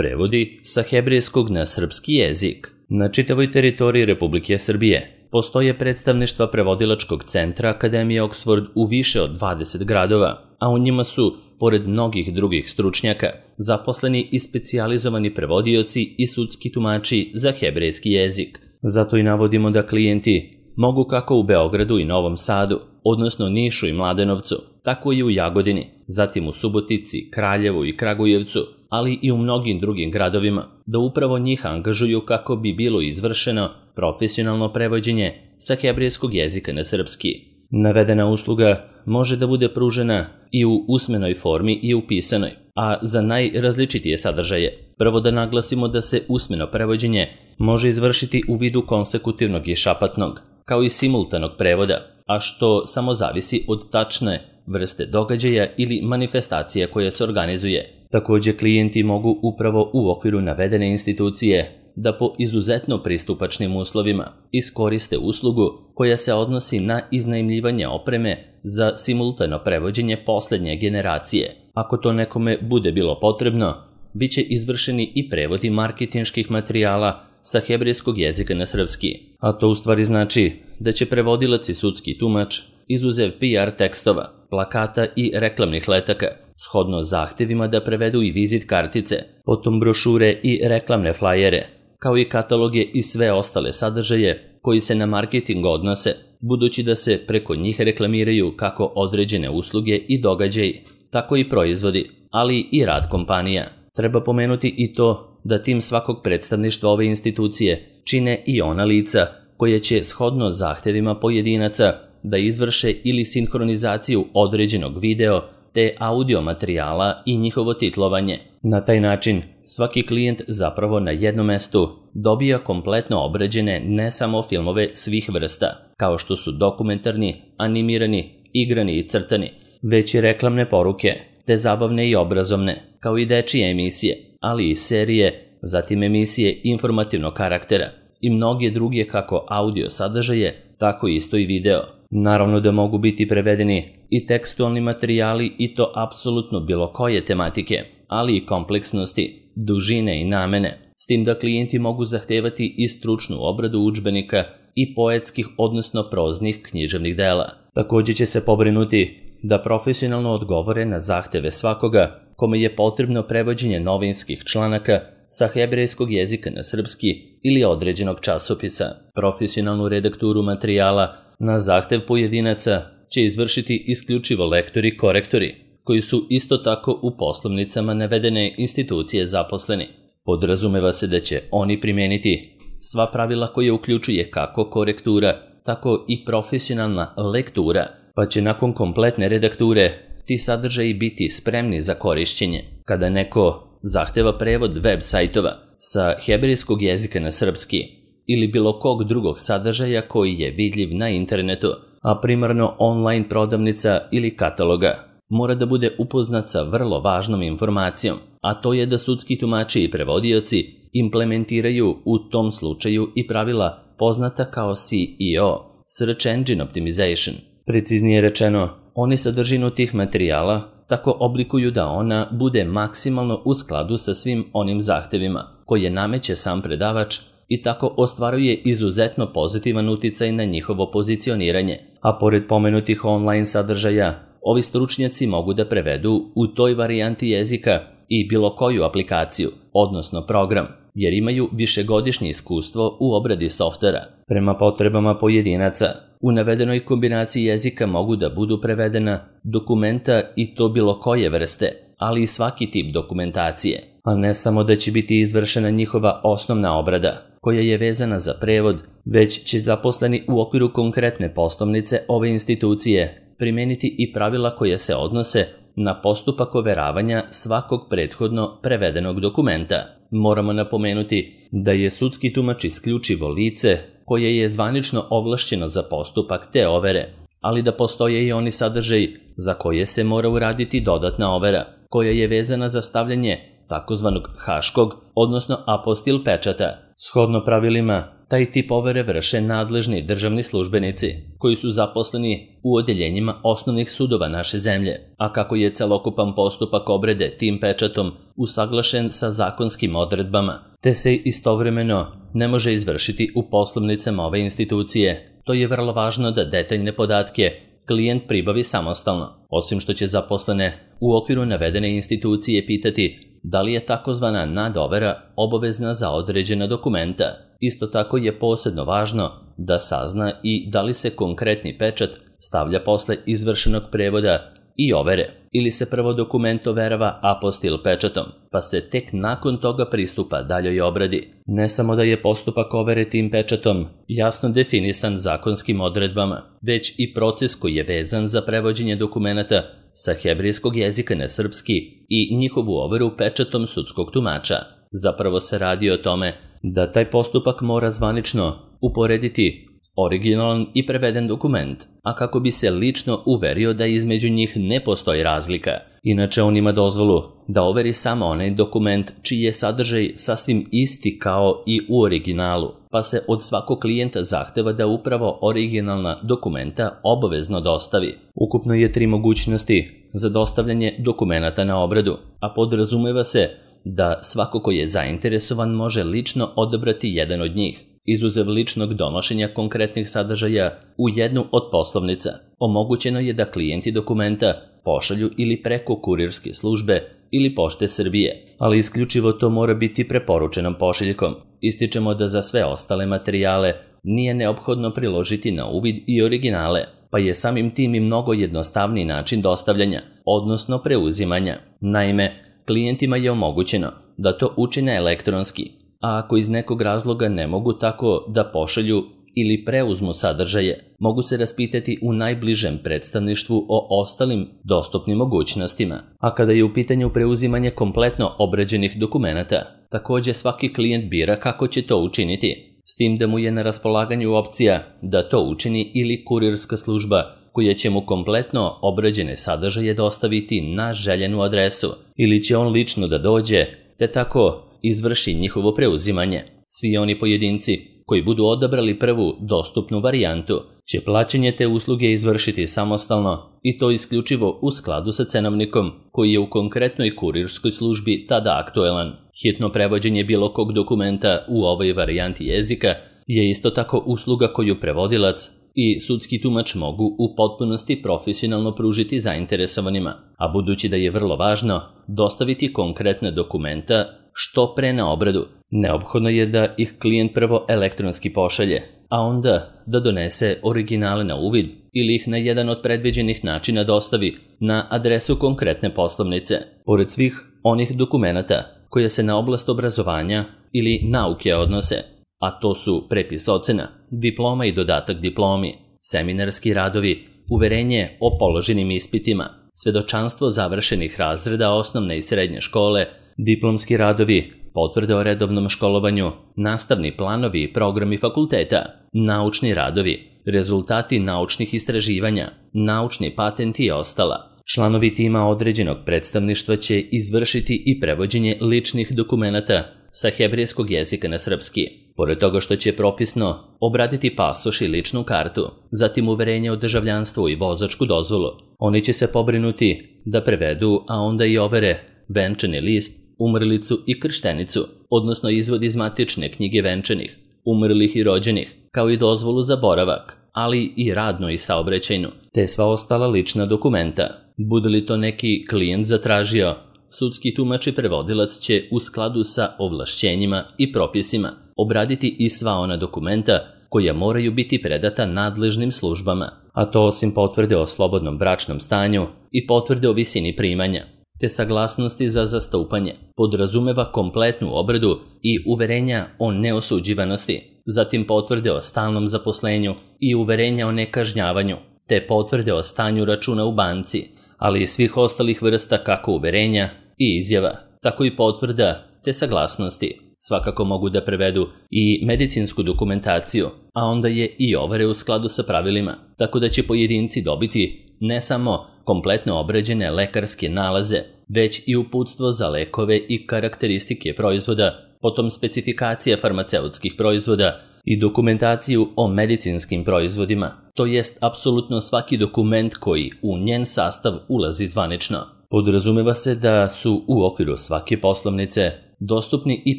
Prevodi sa hebrejskog na srpski jezik. Na čitavoj teritoriji Republike Srbije postoje predstavništva prevodilačkog centra Akademije Oxford u više od 20 gradova, a u njima su, pored mnogih drugih stručnjaka, zaposleni i specijalizovani prevodioci i sudski tumači za hebrejski jezik. Zato i navodimo da klijenti mogu kako u Beogradu i Novom Sadu, odnosno Nišu i Mladenovcu, tako i u Jagodini, zatim u Subotici, Kraljevu i Kragujevcu, ali i u mnogim drugim gradovima, da upravo njih angažuju kako bi bilo izvršeno profesionalno prevođenje sa hebrejskog jezika na srpski. Navedena usluga može da bude pružena i u usmenoj formi i u pisanoj, a za najrazličitije sadržaje. Prvo da naglasimo da se usmeno prevođenje može izvršiti u vidu konsekutivnog i šapatnog, kao i simultanog prevoda, a što samo zavisi od tačne vrste događaja ili manifestacija koja se organizuje. Također klijenti mogu upravo u okviru navedene institucije da po izuzetno pristupačnim uslovima iskoriste uslugu koja se odnosi na iznajmljivanje opreme za simultano prevođenje posljednje generacije. Ako to nekome bude bilo potrebno, bit će izvršeni i prevodi marketinških materijala sa hebrejskog jezika na srpski. A to u stvari znači da će prevodilac i sudski tumač, izuzev PR tekstova, plakata i reklamnih letaka, shodno zahtevima da prevedu i vizit kartice, potom brošure i reklamne flajere, kao i kataloge i sve ostale sadržaje koji se na marketing odnose, budući da se preko njih reklamiraju kako određene usluge i događaji, tako i proizvodi, ali i rad kompanija. Treba pomenuti i to da tim svakog predstavništva ove institucije čine i ona lica koje će shodno zahtevima pojedinaca da izvrše ili sinhronizaciju određenog video te audio materijala i njihovo titlovanje. Na taj način svaki klijent zapravo na jednom mestu dobija kompletno obrađene ne samo filmove svih vrsta, kao što su dokumentarni, animirani, igrani i crtani, već i reklamne poruke, te zabavne i obrazovne, kao i dečije emisije, ali i serije, zatim emisije informativnog karaktera i mnoge druge kako audio sadržaje, tako isto i video. Naravno da mogu biti prevedeni i tekstualni materijali i to apsolutno bilo koje tematike, ali i kompleksnosti, dužine i namene, s tim da klijenti mogu zahtevati i stručnu obradu udžbenika i poetskih odnosno proznih književnih dela. Također će se pobrinuti da profesionalno odgovore na zahteve svakoga kome je potrebno prevođenje novinskih članaka sa hebrejskog jezika na srpski ili određenog časopisa. Profesionalnu redakturu materijala na zahtev pojedinaca će izvršiti isključivo lektori i korektori, koji su isto tako u poslovnicama navedene institucije zaposleni. Podrazumeva se da će oni primijeniti sva pravila koje uključuje kako korektura, tako i profesionalna lektura, pa će nakon kompletne redakture ti sadržaji biti spremni za korišćenje. Kada neko zahteva prevod web sajtova sa hebrejskog jezika na srpski ili bilo kog drugog sadržaja koji je vidljiv na internetu, a primarno online prodavnica ili kataloga, mora da bude upoznat sa vrlo važnom informacijom, a to je da sudski tumači i prevodioci implementiraju u tom slučaju i pravila poznata kao SEO, Search Engine Optimization. Preciznije rečeno, oni sadržinu tih materijala tako oblikuju da ona bude maksimalno u skladu sa svim onim zahtevima koje nameće sam predavač i tako ostvaruje izuzetno pozitivan uticaj na njihovo pozicioniranje. A pored pomenutih online sadržaja, ovi stručnjaci mogu da prevedu u toj varijanti jezika i bilo koju aplikaciju, odnosno program, jer imaju višegodišnje iskustvo u obradi softvera. Prema potrebama pojedinaca, u navedenoj kombinaciji jezika mogu da budu prevedena dokumenta i to bilo koje vrste, ali i svaki tip dokumentacije, a ne samo da će biti izvršena njihova osnovna obrada, koja je vezana za prevod, već će zaposleni u okviru konkretne poslovnice ove institucije primeniti i pravila koje se odnose na postupak overavanja svakog prethodno prevedenog dokumenta. Moramo napomenuti da je sudski tumač isključivo lice koje je zvanično ovlašćeno za postupak te overe, ali da postoje i oni sadržaji za koje se mora uraditi dodatna overa, koja je vezana za stavljanje takozvanog haškog, odnosno apostil pečata. Shodno pravilima, taj tip overe vrše nadležni državni službenici. koji su zaposleni u odeljenjima osnovnih sudova naše zemlje, a kako je celokupan postupak obrade tim pečatom usaglašen sa zakonskim odredbama, te se istovremeno ne može izvršiti u poslovnicama ove institucije. To je vrlo važno da detaljne podatke klijent pribavi samostalno, osim što će zaposlene u okviru navedene institucije pitati da li je takozvana nadovera obavezna za određena dokumenta. Isto tako je posebno važno da sazna i da li se konkretni pečat stavlja posle izvršenog prevoda i overe, ili se prvo dokument overava apostil pečatom, pa se tek nakon toga pristupa daljoj obradi. Ne samo da je postupak overe tim pečatom jasno definisan zakonskim odredbama, već i proces koji je vezan za prevođenje dokumenata sa hebrejskog jezika na srpski i njihovu overu pečatom sudskog tumača. Zapravo se radi o tome da taj postupak mora zvanično uporediti originalan i preveden dokument, a kako bi se lično uverio da između njih ne postoji razlika. Inače, on ima dozvolu da overi samo onaj dokument čiji je sadržaj sasvim isti kao i u originalu, pa se od svakog klijenta zahteva da upravo originalna dokumenta obavezno dostavi. Ukupno je 3 mogućnosti za dostavljanje dokumenata na obradu, a podrazumeva se da svako ko je zainteresovan može lično odabrati jedan od njih, izuzev ličnog donošenja konkretnih sadržaja u jednu od poslovnica. Omogućeno je da klijenti dokumenta pošalju ili preko kurirske službe ili Pošte Srbije, ali isključivo to mora biti preporučenom pošiljkom. Ističemo da za sve ostale materijale nije neophodno priložiti na uvid i originale, pa je samim tim i mnogo jednostavniji način dostavljanja, odnosno preuzimanja. Naime, klijentima je omogućeno da to učine elektronski, a ako iz nekog razloga ne mogu tako da pošalju ili preuzmu sadržaje, mogu se raspitati u najbližem predstavništvu o ostalim dostupnim mogućnostima. A kada je u pitanju preuzimanje kompletno obrađenih dokumenata, također svaki klijent bira kako će to učiniti, s tim da mu je na raspolaganju opcija da to učini ili kurirska služba koja će mu kompletno obrađene sadržaje dostaviti na željenu adresu, ili će on lično da dođe te tako izvrši njihovo preuzimanje. Svi oni pojedinci koji budu odabrali prvu dostupnu varijantu će plaćanje te usluge izvršiti samostalno i to isključivo u skladu sa cenovnikom koji je u konkretnoj kurirskoj službi tada aktuelan. Hitno prevođenje bilo kog dokumenta u ovoj varijanti jezika je isto tako usluga koju prevodilac i sudski tumač mogu u potpunosti profesionalno pružiti zainteresovanima, a budući da je vrlo važno dostaviti konkretne dokumenta što pre na obradu, neophodno je da ih klijent prvo elektronski pošalje, a onda da donese originale na uvid ili ih na jedan od predviđenih načina dostavi na adresu konkretne poslovnice. Pored svih onih dokumenata koje se na oblast obrazovanja ili nauke odnose, a to su prepis ocena, diploma i dodatak diplomi, seminarski radovi, uverenje o položenim ispitima, svedočanstvo završenih razreda osnovne i srednje škole, diplomski radovi, potvrde o redovnom školovanju, nastavni planovi i programi fakulteta, naučni radovi, rezultati naučnih istraživanja, naučni patenti i ostala. Članovi tima određenog predstavništva će izvršiti i prevođenje ličnih dokumenata sa hebrejskog jezika na srpski. Pored toga što će propisno obraditi pasoš i ličnu kartu, zatim uverenje o državljanstvu i vozačku dozvolu, oni će se pobrinuti da prevedu, a onda i overe venčani list, umrlicu i krštenicu, odnosno izvod iz matične knjige venčanih, umrlih i rođenih, kao i dozvolu za boravak, ali i radno i saobraćajnu, te sva ostala lična dokumenta. Bude li to neki klijent zatražio, sudski tumač i prevodilac će u skladu sa ovlašćenjima i propisima obraditi i sva ona dokumenta koja moraju biti predata nadležnim službama, a to osim potvrde o slobodnom bračnom stanju i potvrde o visini primanja, te saglasnosti za zastupanje, podrazumeva kompletnu obradu i uverenja o neosuđivanosti, zatim potvrde o stalnom zaposlenju i uverenja o nekažnjavanju, te potvrde o stanju računa u banci, ali i svih ostalih vrsta kako uverenja i izjava, tako i potvrda te saglasnosti. Svakako mogu da prevedu i medicinsku dokumentaciju, a onda je i overe u skladu sa pravilima, tako da će pojedinci dobiti ne samo kompletno obrađene lekarske nalaze, već i uputstvo za lekove i karakteristike proizvoda, potom specifikacije farmaceutskih proizvoda i dokumentaciju o medicinskim proizvodima, to jest apsolutno svaki dokument koji u njen sastav ulazi zvanično. Podrazumeva se da su u okviru svake poslovnice dostupni i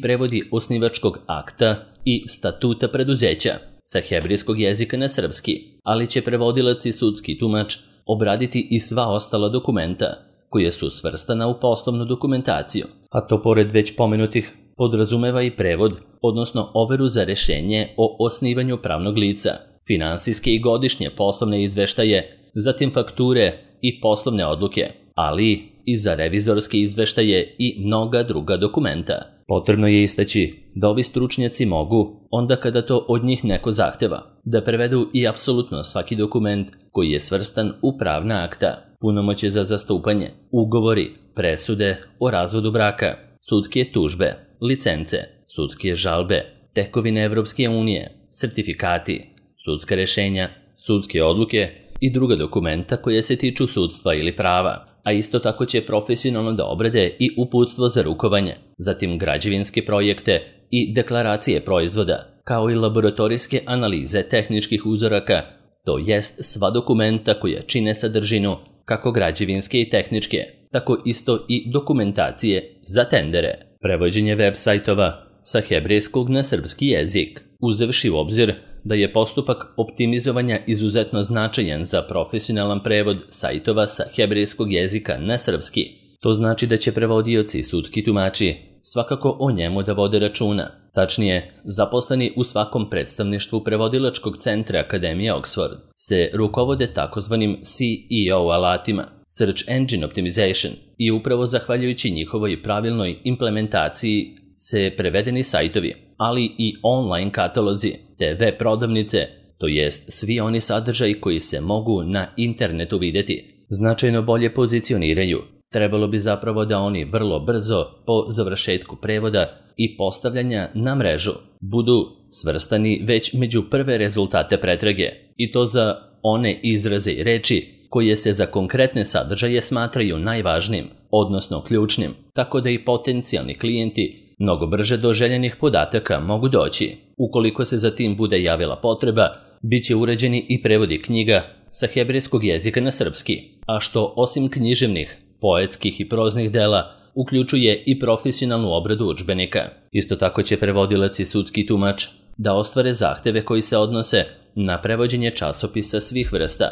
prevodi osnivačkog akta i statuta preduzeća sa hebrejskog jezika na srpski, ali će prevodilac i sudski tumač obraditi i sva ostala dokumenta koje su svrstana u poslovnu dokumentaciju, a to pored već pomenutih podrazumeva i prevod, odnosno overu za rešenje o osnivanju pravnog lica, finansijske i godišnje poslovne izveštaje, zatim fakture i poslovne odluke, ali i za revizorske izveštaje i mnoga druga dokumenta. Potrebno je istaći da ovi stručnjaci mogu, onda kada to od njih neko zahteva, da prevedu i apsolutno svaki dokument koji je svrstan u pravna akta, punomoćje za zastupanje, ugovori, presude o razvodu braka, sudske tužbe, licence, sudske žalbe, tekovine Evropske unije, sertifikati, sudska rešenja, sudske odluke i druga dokumenta koje se tiču sudstva ili prava, a isto tako će profesionalno da obrade i uputstvo za rukovanje, zatim građevinske projekte i deklaracije proizvoda, kao i laboratorijske analize tehničkih uzoraka, to jest sva dokumenta koja čine sadržinu kako građevinske i tehničke, tako isto i dokumentacije za tendere. Prevođenje web sajtova sa hebrejskog na srpski jezik, uzevši u obzir da je postupak optimizovanja izuzetno značajan za profesionalan prevod sajtova sa hebrejskog jezika na srpski. To znači da će prevodioci i sudski tumači svakako o njemu da vode računa. Tačnije, zaposleni u svakom predstavništvu prevodilačkog centra Akademije Oxford se rukovode takozvanim CEO alatima, Search Engine Optimization, i upravo zahvaljujući njihovoj pravilnoj implementaciji se prevedeni sajtovi, ali i online katalozi te web prodavnice, to jest svi oni sadržaji koji se mogu na internetu vidjeti, značajno bolje pozicioniraju. Trebalo bi zapravo da oni vrlo brzo po završetku prevoda i postavljanja na mrežu budu svrstani već među prve rezultate pretrage, i to za one izraze i reči koje se za konkretne sadržaje smatraju najvažnijim, odnosno ključnim, tako da i potencijalni klijenti mnogo brže do željenih podataka mogu doći. Ukoliko se za tim bude javila potreba, bit će uređeni i prevodi knjiga sa hebrejskog jezika na srpski, a što osim književnih, poetskih i proznih dela uključuje i profesionalnu obradu udžbenika. Isto tako će prevodilac i sudski tumač da ostvare zahteve koji se odnose na prevođenje časopisa svih vrsta,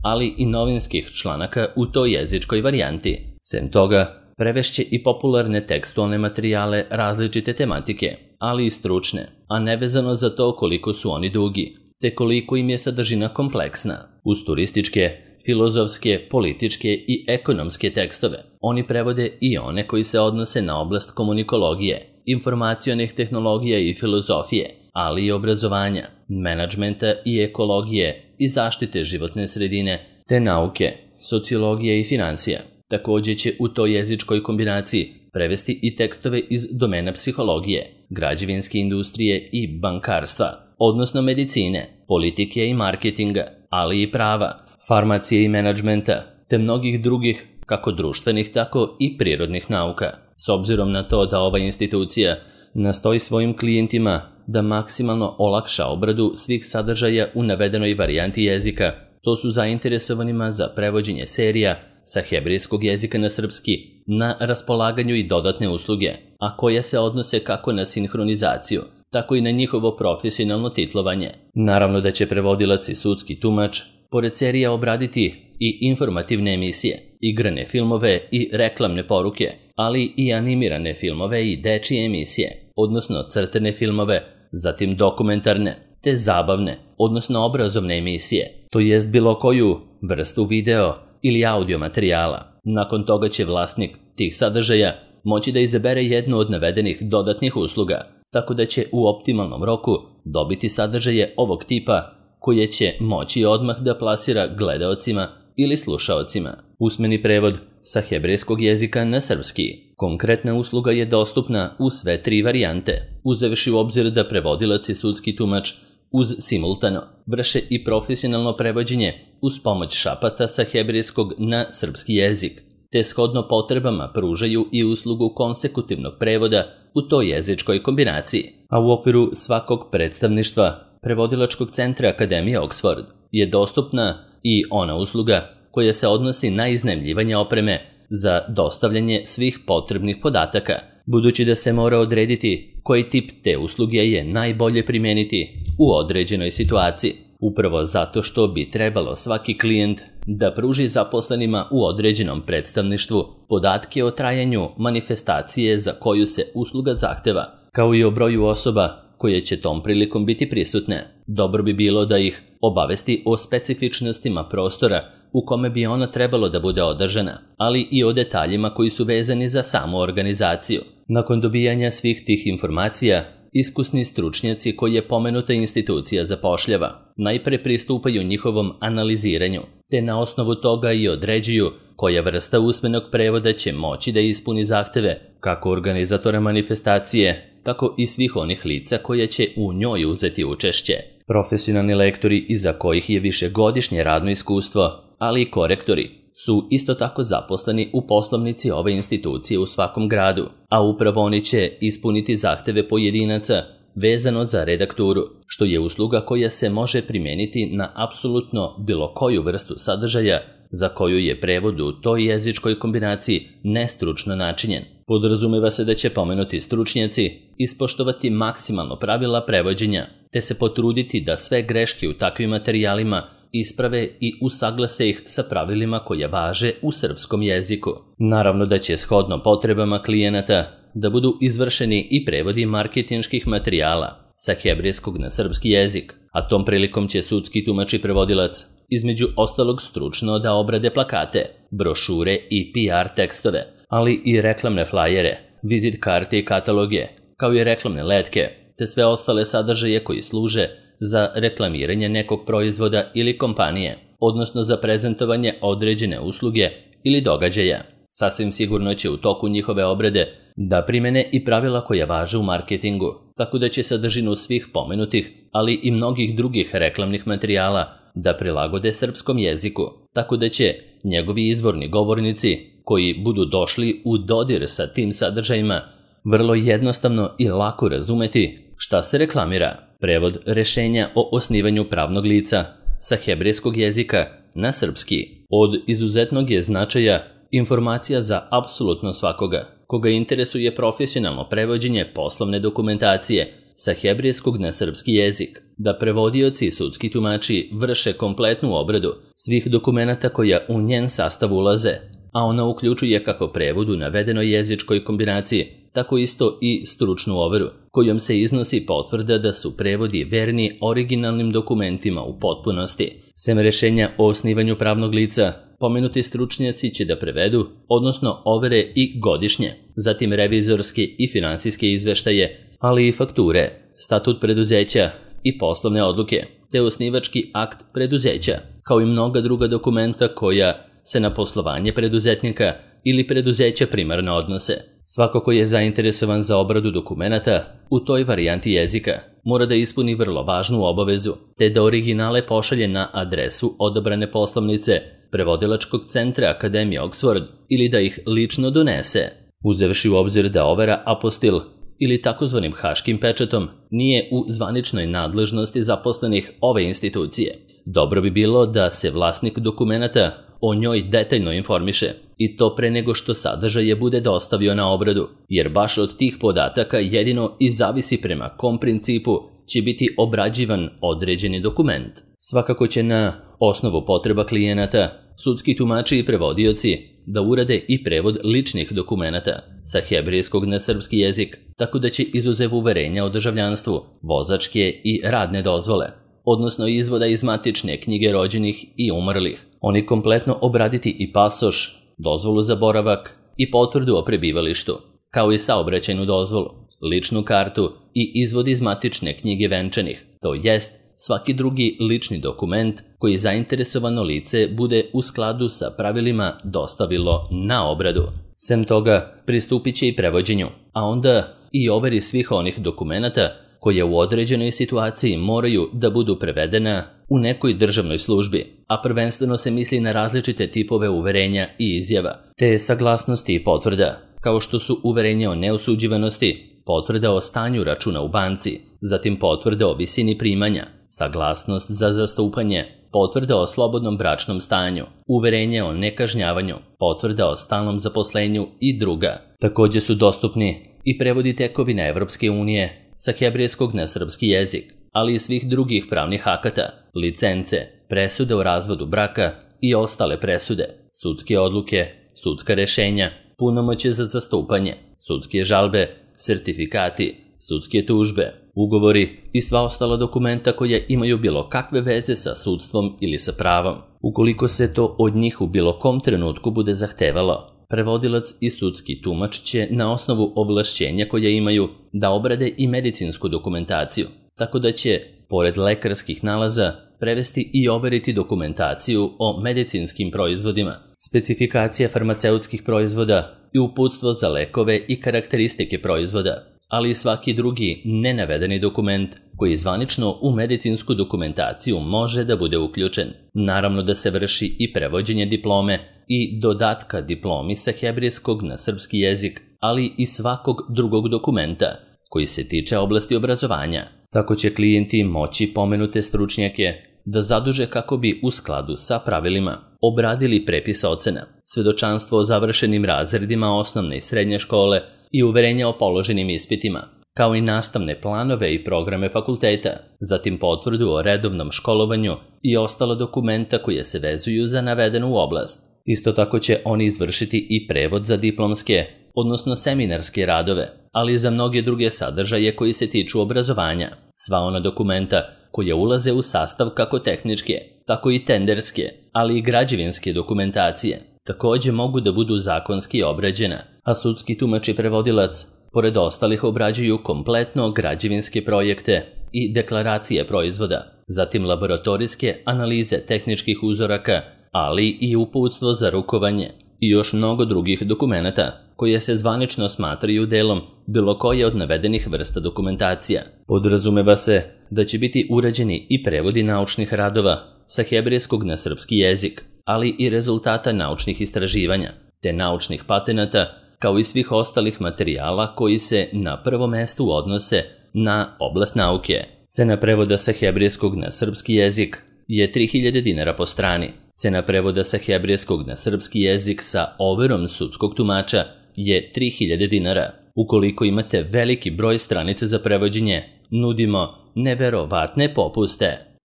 ali i novinskih članaka u toj jezičkoj varijanti. Sem toga, prevešće i popularne tekstualne materijale različite tematike, ali i stručne, a nevezano za to koliko su oni dugi, te koliko im je sadržina kompleksna. Uz turističke, filozofske, političke i ekonomske tekstove, oni prevode i one koji se odnose na oblast komunikologije, informacionih tehnologija i filozofije, ali i obrazovanja, menadžmenta i ekologije i zaštite životne sredine, te nauke, sociologije i financija. Također će u toj jezičkoj kombinaciji prevesti i tekstove iz domena psihologije, građevinske industrije i bankarstva, odnosno medicine, politike i marketinga, ali i prava, farmacije i menadžmenta, te mnogih drugih, kako društvenih, tako i prirodnih nauka. S obzirom na to da ova institucija nastoji svojim klijentima da maksimalno olakša obradu svih sadržaja u navedenoj varijanti jezika, to su zainteresovanima za prevođenje serija sa hebrejskog jezika na srpski na raspolaganju i dodatne usluge, a koje se odnose kako na sinhronizaciju, tako i na njihovo profesionalno titlovanje. Naravno da će prevodilac i sudski tumač pored serija obraditi i informativne emisije, igrane filmove i reklamne poruke, ali i animirane filmove i dečije emisije, odnosno crtane filmove, zatim dokumentarne, te zabavne, odnosno obrazovne emisije, to jest bilo koju vrstu video ili audio materijala. Nakon toga će vlasnik tih sadržaja moći da izabere jednu od navedenih dodatnih usluga, tako da će u optimalnom roku dobiti sadržaje ovog tipa koje će moći odmah da plasira gledaocima ili slušaocima. Usmeni prevod sa hebrejskog jezika na srpski. Konkretna usluga je dostupna u sve tri varijante, uzevši u obzir da prevodilac i sudski tumač uz simultano vrše i profesionalno prevođenje uz pomoć šapata sa hebrejskog na srpski jezik, te shodno potrebama pružaju i uslugu konsekutivnog prevoda u toj jezičkoj kombinaciji. A u okviru svakog predstavništva Prevodilačkog centra Akademije Oxford je dostupna i ona usluga koja se odnosi na iznajmljivanje opreme za dostavljanje svih potrebnih podataka, budući da se mora odrediti koji tip te usluge je najbolje primijeniti u određenoj situaciji, upravo zato što bi trebalo svaki klijent da pruži zaposlenima u određenom predstavništvu podatke o trajanju manifestacije za koju se usluga zahteva, kao i o broju osoba koje će tom prilikom biti prisutne. Dobro bi bilo da ih obavesti o specifičnostima prostora u kome bi ona trebalo da bude održana, ali i o detaljima koji su vezani za samu organizaciju. Nakon dobijanja svih tih informacija, iskusni stručnjaci koje pomenuta institucija zapošljava najpre pristupaju njihovom analiziranju, te na osnovu toga i određuju koja vrsta usmenog prevoda će moći da ispuni zahteve kako organizatora manifestacije, tako i svih onih lica koja će u njoj uzeti učešće. Profesionalni lektori iza kojih je višegodišnje radno iskustvo, ali i korektori, su isto tako zaposleni u poslovnici ove institucije u svakom gradu, a upravo oni će ispuniti zahteve pojedinaca vezano za redakturu, što je usluga koja se može primijeniti na apsolutno bilo koju vrstu sadržaja za koju je prevod u toj jezičkoj kombinaciji nestručno načinjen. Podrazumeva se da će pomenuti stručnjaci ispoštovati maksimalno pravila prevođenja, te se potruditi da sve greške u takvim materijalima isprave i usaglase ih sa pravilima koja važe u srpskom jeziku. Naravno da će shodno potrebama klijenata da budu izvršeni i prevodi marketinških materijala sa hebrejskog na srpski jezik, a tom prilikom će sudski tumač i prevodilac između ostalog stručno da obrade plakate, brošure i PR tekstove, ali i reklamne flajere, vizit karte i kataloge, kao i reklamne letke, te sve ostale sadržaje koji služe za reklamiranje nekog proizvoda ili kompanije, odnosno za prezentovanje određene usluge ili događaja. Sasvim sigurno će u toku njihove obrade da primene i pravila koja važe u marketingu, tako da će sadržinu svih pomenutih, ali i mnogih drugih reklamnih materijala da prilagode srpskom jeziku, tako da će njegovi izvorni govornici koji budu došli u dodir sa tim sadržajima vrlo jednostavno i lako razumeti šta se reklamira. Prevod rešenja o osnivanju pravnog lica sa hebrejskog jezika na srpski od izuzetnog je značaja informacija za apsolutno svakoga koga interesuje profesionalno prevođenje poslovne dokumentacije sa hebrejskog na srpski jezik, da prevodioci i sudski tumači vrše kompletnu obradu svih dokumenata koja u njen sastav ulaze, a ona uključuje kako prevod u navedenoj jezičkoj kombinaciji, tako isto i stručnu overu, kojom se iznosi potvrda da su prevodi verni originalnim dokumentima u potpunosti. Sem rešenja o osnivanju pravnog lica, pomenuti stručnjaci će da prevedu, odnosno overe i godišnje, zatim revizorske i finansijske izveštaje, ali i fakture, statut preduzeća i poslovne odluke, te osnivački akt preduzeća, kao i mnoga druga dokumenta koja se na poslovanje preduzetnika ili preduzeća primarno odnose. Svako ko je zainteresovan za obradu dokumenata u toj varijanti jezika mora da ispuni vrlo važnu obavezu, te da originale pošalje na adresu odabrane poslovnice Prevodilačkog centra Akademije Oxford ili da ih lično donese, uzevši u obzir da overa apostil ili takozvanim haškim pečatom nije u zvaničnoj nadležnosti zaposlenih ove institucije. Dobro bi bilo da se vlasnik dokumenata o njoj detaljno informiše, i to pre nego što sadržaje bude dostavio na obradu, jer baš od tih podataka jedino i zavisi prema kom principu će biti obrađivan određeni dokument. Svakako će na osnovu potreba klijenata sudski tumači i prevodioci da urade i prevod ličnih dokumenata sa hebrejskog na srpski jezik, tako da će izuzev uverenja o državljanstvu, vozačke i radne dozvole, odnosno izvoda iz matične knjige rođenih i umrlih, oni kompletno obraditi i pasoš, dozvolu za boravak i potvrdu o prebivalištu, kao i saobraćajnu dozvolu, ličnu kartu i izvod iz matične knjige venčanih, to jest svaki drugi lični dokument koji zainteresovano lice bude u skladu sa pravilima dostavilo na obradu. Sem toga, pristupit će i prevođenju, a onda i overi svih onih dokumenata koje u određenoj situaciji moraju da budu prevedena u nekoj državnoj službi, a prvenstveno se misli na različite tipove uverenja i izjava, te saglasnosti i potvrda, kao što su uverenje o neosuđivanosti, potvrda o stanju računa u banci, zatim potvrda o visini primanja, saglasnost za zastupanje, potvrda o slobodnom bračnom stanju, uverenje o nekažnjavanju, potvrda o stalnom zaposlenju i druga. Takođe su dostupni i prevodi tekovina Evropske unije sa hebrejskog na srpski jezik, ali i svih drugih pravnih akata, licence, presude o razvodu braka i ostale presude, sudske odluke, sudska rešenja, punomoćje za zastupanje, sudske žalbe, sertifikati, sudske tužbe, ugovori i sva ostala dokumenta koja imaju bilo kakve veze sa sudstvom ili sa pravom. Ukoliko se to od njih u bilo kom trenutku bude zahtevalo, prevodilac i sudski tumač će na osnovu ovlašćenja koja imaju da obrade i medicinsku dokumentaciju, tako da će, pored lekarskih nalaza, prevesti i overiti dokumentaciju o medicinskim proizvodima, specifikacije farmaceutskih proizvoda i uputstvo za lekove i karakteristike proizvoda, ali i svaki drugi nenavedeni dokument koji zvanično u medicinsku dokumentaciju može da bude uključen. Naravno da se vrši i prevođenje diplome i dodatka diplomi sa hebrejskog na srpski jezik, ali i svakog drugog dokumenta koji se tiče oblasti obrazovanja. Tako će klijenti moći pomenute stručnjake da zaduže kako bi u skladu sa pravilima obradili prepis ocena, svedočanstvo o završenim razredima osnovne i srednje škole i uverenja o položenim ispitima, kao i nastavne planove i programe fakulteta, zatim potvrdu o redovnom školovanju i ostala dokumenta koje se vezuju za navedenu oblast. Isto tako će oni izvršiti i prevod za diplomske, odnosno seminarske radove, ali i za mnoge druge sadržaje koji se tiču obrazovanja. Sva ona dokumenta koja ulaze u sastav kako tehničke, tako i tenderske, ali i građevinske dokumentacije, takođe mogu da budu zakonski obrađena, a sudski tumač i prevodilac, pored ostalih, obrađuju kompletno građevinske projekte i deklaracije proizvoda, zatim laboratorijske analize tehničkih uzoraka, ali i uputstvo za rukovanje i još mnogo drugih dokumenata koje se zvanično smatraju delom bilo koje od navedenih vrsta dokumentacija. Podrazumeva se da će biti urađeni i prevodi naučnih radova sa hebrejskog na srpski jezik, ali i rezultata naučnih istraživanja, te naučnih patenata, kao i svih ostalih materijala koji se na prvo mesto odnose na oblast nauke. Cena prevoda sa hebrejskog na srpski jezik je 3000 dinara po strani. Cena prevoda sa hebrejskog na srpski jezik sa overom sudskog tumača je 3000 dinara. Ukoliko imate veliki broj stranica za prevođenje, nudimo neverovatne popuste.